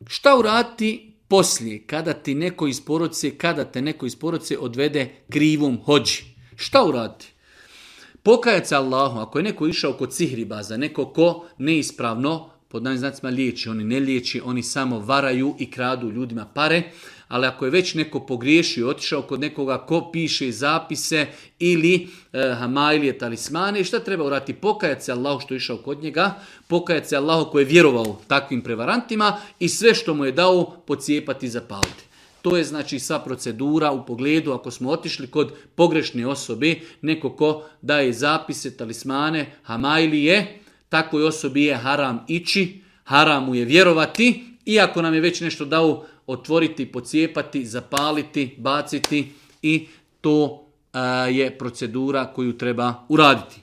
Šta uraditi poslije, kada te neko iz porodice odvede krivom hođi? Šta uraditi? Pokajati se Allahu, ako je neko išao kod sihribaza, neko ko neispravno, pod navim znacima liječi, oni ne liječi, oni samo varaju i kradu ljudima pare, ali ako je već neko pogriješio, otišao kod nekoga ko piše zapise ili hamailije, talismane, šta treba uraditi? Pokajati se Allahu što je išao kod njega, pokajati se Allahu koji je vjerovao takvim prevarantima i sve što mu je dao pocijepati i zapaliti. To je znači sva procedura u pogledu ako smo otišli kod pogrešne osobe, neko ko daje zapise, talismane, hamailije, takvoj osobi je haram ići, haram mu je vjerovati, iako nam je već nešto dao otvoriti, pocijepati, zapaliti, baciti i to je procedura koju treba uraditi.